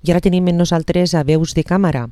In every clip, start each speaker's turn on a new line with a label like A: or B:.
A: I ara tenim amb nosaltres a Veus de Càmera.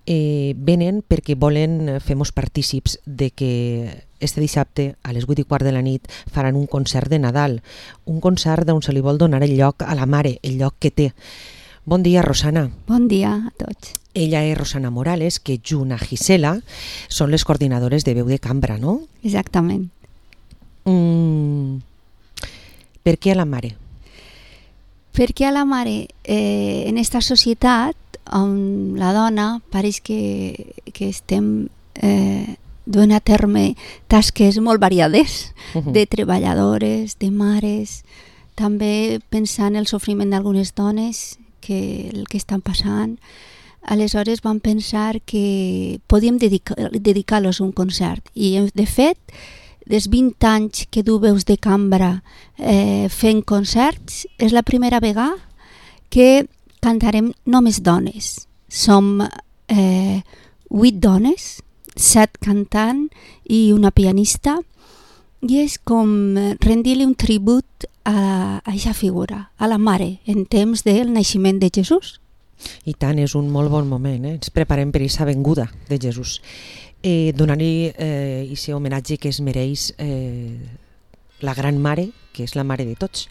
A: Venen perquè volen fer-nos partícips de que este dissabte a les 8:15 de la nit faran un concert de Nadal, un concert on se li vol donar el lloc a la mare, el lloc que té. Bon dia, Rosana.
B: Bon dia a tots.
A: Ella és Rosana Morales, que junt a Gisela són les coordinadores de Veu de Cambra, no?
B: Exactament.
A: Per què a la mare?
B: Perquè a la mare, en aquesta societat on la dona pareix que estem duent a terme tasques molt variades, de treballadores, de mares, també pensant en el sofriment d'algunes dones, que el que estan passant. Aleshores vam pensar que podíem dedicar-los un concert i de fet dels 20 anys que du Veus de Cambra fent concerts és la primera vegada que cantarem només dones. Som 8 dones, 7 cantant i una pianista, i és com rendir-li un tribut a aquesta figura, a la mare, en temps del naixement de Jesús.
A: I tant, és un molt bon moment, ens preparem per aquesta venguda de Jesús. Donar-li aquest homenatge que es mereix la gran mare, que és la mare de tots.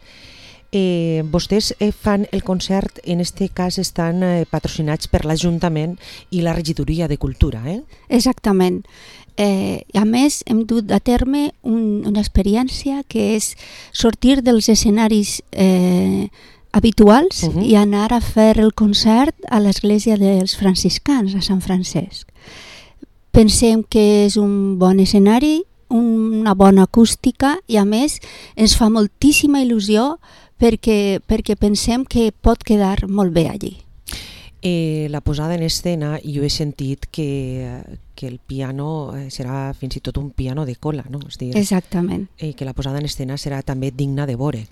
A: Vostès fan el concert, en aquest cas estan patrocinats per l'Ajuntament i la Regidoria de Cultura,
B: Exactament. A més, hem dut a terme una experiència que és sortir dels escenaris habituals i anar a fer el concert a l'església dels franciscans, a Sant Francesc. Pensem que és un bon escenari, una bona acústica i a més ens fa moltíssima il·lusió perquè pensem que pot quedar molt bé allí.
A: La posada en escena, jo he sentit que el piano serà fins i tot un piano de cola, no? És dir,
B: exactament.
A: Que la posada en escena serà també digna de veure.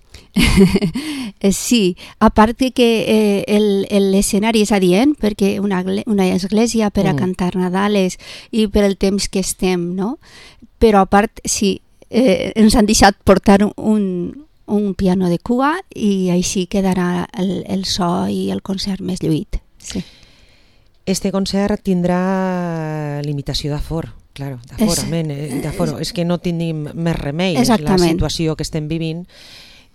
B: Sí, a part que l'escenari és adient, perquè una església per a cantar Nadales i per el temps que estem, no? Però a part, sí, ens han deixat portar un piano de cua i així quedarà el so i el concert més lluït. Sí.
A: Este concert tindrà limitació d'aforo, claro, d'aforo. És que no tenim més remei, és la situació que estem vivint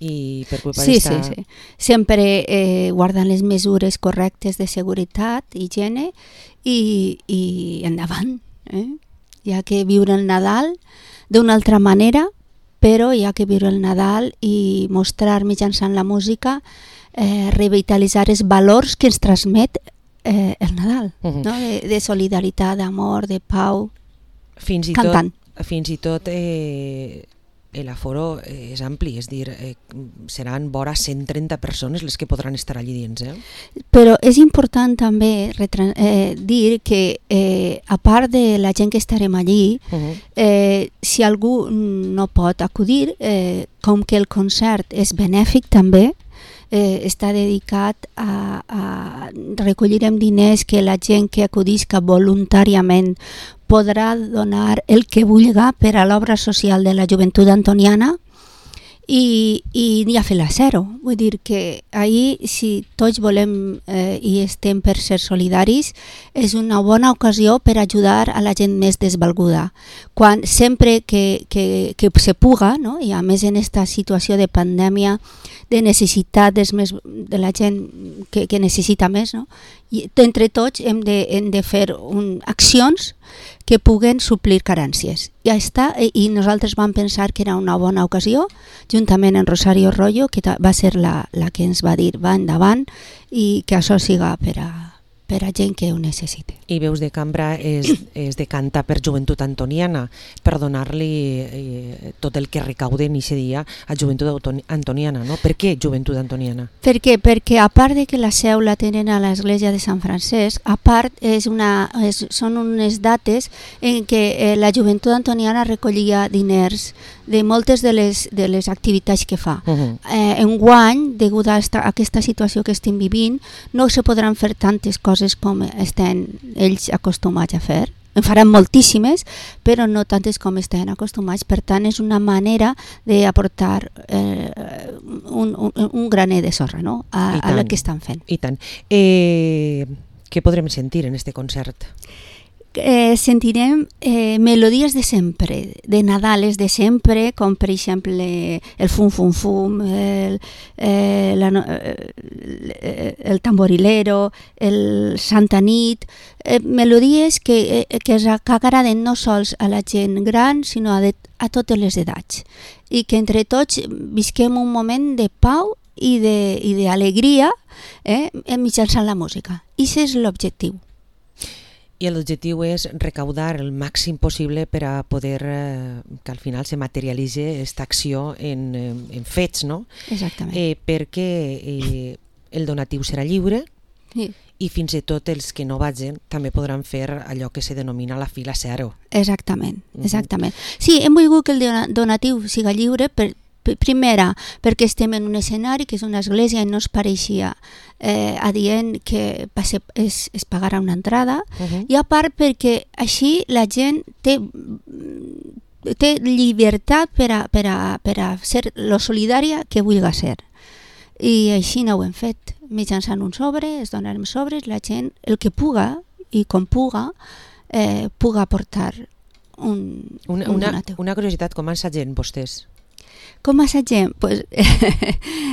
A: i per culpa d'esta...
B: Sí. Sempre guardant les mesures correctes de seguretat, higiene i endavant. Hi ha que viure el Nadal d'una altra manera, però hi ha que viure el Nadal i mostrar mitjançant la música revitalitzar els valors que ens transmet el Nadal, no? De solidaritat, d'amor, de pau, cantant.
A: Fins i tot l'aforo és ampli, és dir, seran vora 130 persones les que podran estar allí dins.
B: Però és important també dir que a part de la gent que estarem allí, si algú no pot acudir, com que el concert és benèfic també, està dedicat a recollirem diners que la gent que acudisca voluntàriament podrà donar el que vulga per a l'obra social de la joventut antoniana i a fer la zero. Vull dir que ahir, si tots volem i estem per ser solidaris, és una bona ocasió per ajudar a la gent més desvalguda. Sempre que se puga, no? I a més en aquesta situació de pandèmia, de necessitat de la gent que necessita més, no? I entre tots hem de fer accions que puguen suplir carències. Ja està, i nosaltres vam pensar que era una bona ocasió, juntament amb Rosario Rollo, que va ser la que ens va dir va endavant i que això siga per a gent que ho necessite.
A: I Veus de Cambra és de cantar per joventut antoniana, per donar-li tot el que recauden aquest dia a joventut antoniana, no? Per què joventut antoniana?
B: Per què? Perquè a part de que la seu la tenen a l'església de Sant Francesc, a part són unes dates en què la joventut antoniana recollia diners de moltes de les activitats que fa. Enguany, degut a aquesta situació que estem vivint, no se podran fer tantes coses com estan ells acostumats a fer, En faran moltíssimes, però no tantes com estan acostumats. Per tant, és una manera d'aportar un graner de sorra, no? a el que estan fent.
A: I tant. Què podrem sentir en este concert?
B: Sentirem melodies de sempre, de Nadales de sempre, com per exemple el Fum Fum Fum, el Tamborilero, el Santa Nit, melodies que agraden no sols a la gent gran, sinó a totes les edats, i que entre tots visquem un moment de pau i d'alegria mitjançant la música. I aquest és l'objectiu.
A: I l'objectiu és recaudar el màxim possible per a poder que al final se materialitzi aquesta acció en fets, no?
B: Exactament.
A: Perquè el donatiu serà lliure i fins i tot els que no vagin també podran fer allò que se denomina la fila zero.
B: Exactament. Sí, hem volgut que el donatiu siga lliure primera, perquè estem en un escenari que és una església i no es pareixia adient que es pagarà una entrada, i a part perquè així la gent té llibertat per a ser lo solidària que vulgui ser. I així no ho hem fet. Mitjançant un sobre, es donarem sobres, la gent, el que puga i com puga aportar un donatiu.
A: Una curiositat, com assagem vostès?
B: Com assagem? Pues,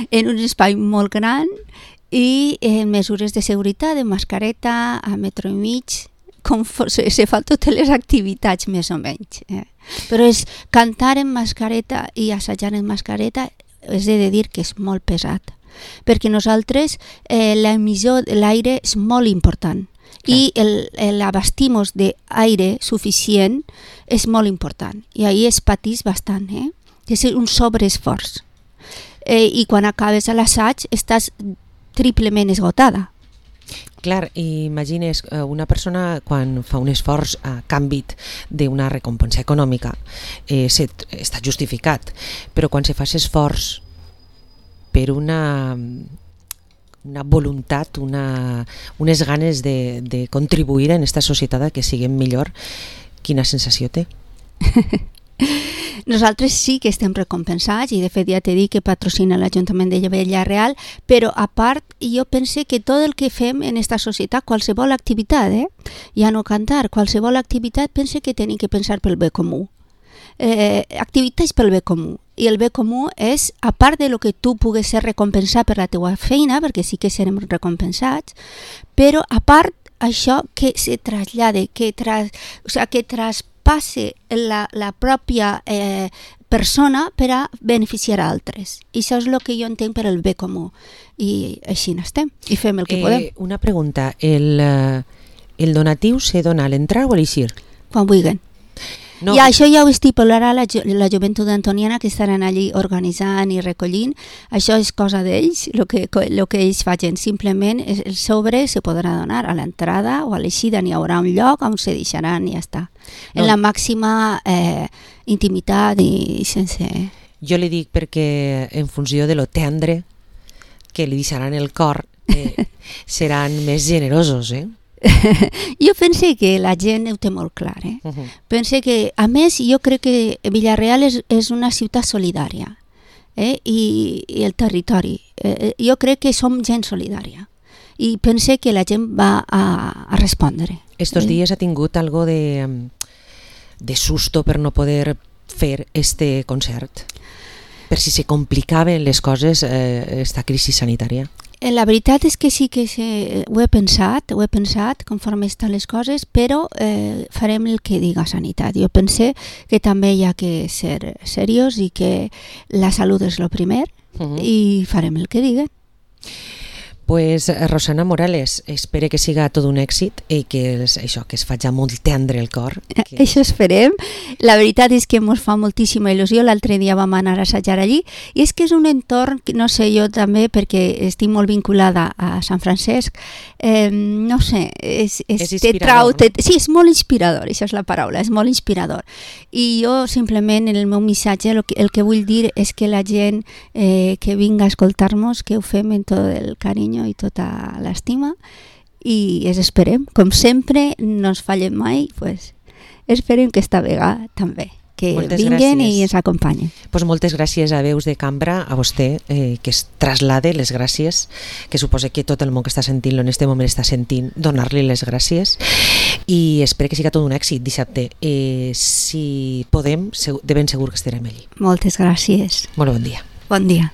B: en un espai molt gran i en mesures de seguretat, de mascareta, a metro i mig, com se fa totes les activitats més o menys. Però és cantar en mascareta i assajar en mascareta, és de dir que és molt pesat, perquè nosaltres l'emissió de l'aire és molt important. I l'abastimos d'aire suficient és molt important, i ahir es patís bastant, és un sobreesforç, i quan acabes l'assaig estàs triplement esgotada.
A: Clar, imagines una persona quan fa un esforç a canvi d'una recompensa econòmica està justificat, però quan se fa esforç per una voluntat, unes ganes de contribuir en aquesta societat que siguem millor, quina sensació té?
B: Nosaltres sí que estem recompensats i de fet ja t'he dit que patrocina l'Ajuntament de Villarreal, però a part jo pense que tot el que fem en aquesta societat, qualsevol activitat, ja no cantar, qualsevol activitat pense que tenim que pensar pel bé comú. Activitats pel bé comú, i el bé comú és, a part de lo que tu pugues ser recompensat per la teua feina, perquè sí que serem recompensats, però a part això que se trasllade, que traspasse la pròpia persona per a beneficiar a altres. I això és el que jo entenc per el bé comú. I així n'estem, i fem el que podem.
A: Una pregunta, el donatiu se dona a l'entrar o a l'eixir?
B: Quan vulguin. No. I això ja ho estipularà la joventut antoniana, que estaran allí organitzant i recollint. Això és cosa d'ells, el que ells facin. Simplement el sobre se podrà donar a l'entrada o a l'eixida, n'hi haurà un lloc on se deixaran i ja està. En la màxima intimitat i sense...
A: Jo li dic perquè en funció de lo tendre que li deixaran el cor seran més generosos,
B: Jo pense que la gent ho té molt clar. Pense que, a més, jo crec que Villarreal és una ciutat solidària, i el territori. Jo crec que som gent solidària i pense que la gent va a respondre.
A: Estos dies ha tingut algo de susto per no poder fer este concert? Per si se complicaven les coses esta crisi sanitària?
B: La veritat és que sí que ho he pensat conforme estan les coses, però farem el que diga Sanitat. Jo pense que també hi ha que ser seriós i que la salut és el primer, i farem el que diguen.
A: Pues Rosana Morales, espero que siga tot un èxit i que això, que es faci molt tendre el cor.
B: Això esperem. La veritat és que ens fa moltíssima il·lusió. L'altre dia vam anar a assajar allí i és que és un entorn, no sé, jo també, perquè estic molt vinculada a Sant Francesc, no sé, és
A: inspirador, no?
B: Sí, és molt inspirador, això és la paraula, és molt inspirador. I jo simplement en el meu missatge el que vull dir és que la gent que vinga a escoltar-nos, que ho fem en tot el carinyo i tota l'estima, i es esperem. Com sempre, no ens fallem mai, pues, esperem que esta vegada també, que vinguen i ens acompanyen.
A: Pues moltes gràcies a Veus de Cambra, a vostè, que es traslade les gràcies, que suposa que tot el món que està sentint-lo en este moment està sentint, donar-li les gràcies, i espero que siga tot un èxit dissabte. Si podem, de ben segur que estarem allí.
B: Moltes gràcies.
A: Molt bon dia.
B: Bon dia.